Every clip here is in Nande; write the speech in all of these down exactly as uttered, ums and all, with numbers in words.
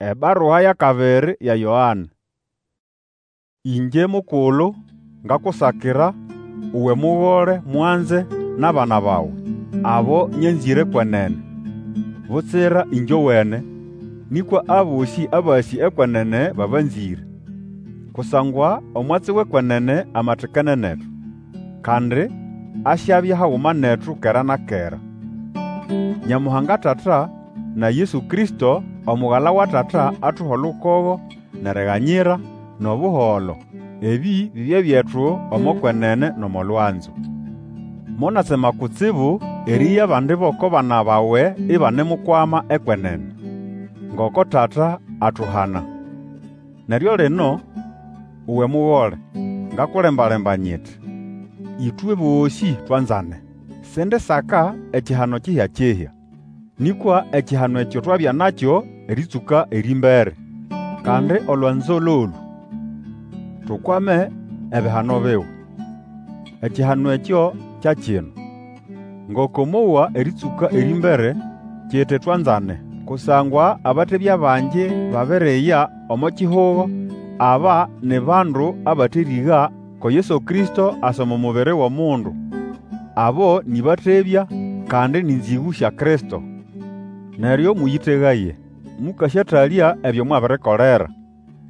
Ebarua y'akabiri ya Yoane. Ĩngye mukulu, ngakusakira, uwe mugole mwanze n'abana bawe, abo nyanzĩre kwenene, butsira ĩngyowene, nĩkwa abosĩ abasĩ ekwenene babanzĩre. Kusangwa omwatsi w'ekwenene amatikene netu, kandi asyabya haguma netu kera na kera. Nyamuhanga Tata na Yesu Kristo, Omugala wa Tata, atuhe olukogo, n'eriganyira, n'obuholo. Ebĩ bibye byetu omo kwenene n'omo lwanzo. Monatsema kutsibu erĩeya abandi b'oko bana bawe ibanemukwama ekwenene, ngoko Tata atuhana. Neryo lino, uwe mugole, ngakulemba-lemba nyiti, ĩtwe bosĩ twanzane. Sindisaka ekihano kihya-kihya, nĩkwa ekihano ekyo twabya nakyo erĩtsũka erĩmbere. Kandi olwanzo lolũ, tukwame ebihano biwe. Ekihano ekyo kya kino, ngoko mowa erĩtsũka erĩmbere, kiti twanzane. Kusangwa abatebya bangi babiriya omo kihugo, aba ni bandu abaterĩga ko Yesu Kristo asa omo mubiri w'omundu. Abo nĩ batebya, kandi ni nzĩgũ sya Kristo. Neryo mũyĩtegaye, mũkasyatalya ebyo mwabirikolera.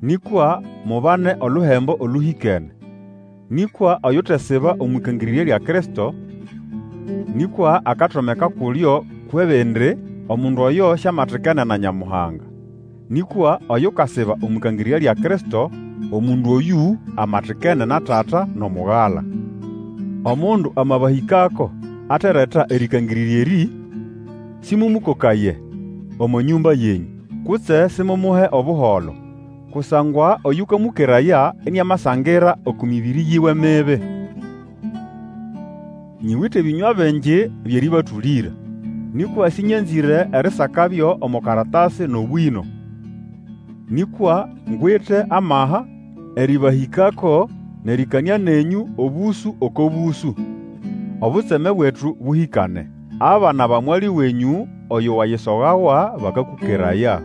Nĩkwa mubane oluhembo olũhĩkene. Nĩkwa oyutesiba omw'ĩkangĩrĩrya lya Kristo, nĩkwa akatomeka kulyo kw'ebindi, omundu oyo siamatikene na Nyamuhanga. Nĩkwa oyukasiba omw'ĩkangĩrĩrya lya Kristo, omundu oyũ amatikene na Tata n'Omugala. Omundu amabahĩkako atereta erĩkangĩrĩrya erĩ, sĩmũmũkokaye omo nyũmba yenyũ, kutse simumuhe Obuholo. Kusangwa oyũkamũkeraya iniamasangira oko mĩbĩrĩ yiwe mibi. Nyiwite ebĩnywa bingi by'erĩbatũlĩra, nĩkwa sĩnyanzĩre erisakabyo omo karatasi n'obwĩno. Nĩkwa ngwite amaha erĩbahĩkako n'erĩkanĩa nenyũ obũsũ oko bũsũ, obutseme bwetu bũhĩkane. Abana ba mwali wenyũ oyo wayisogawa bakakũkeraya.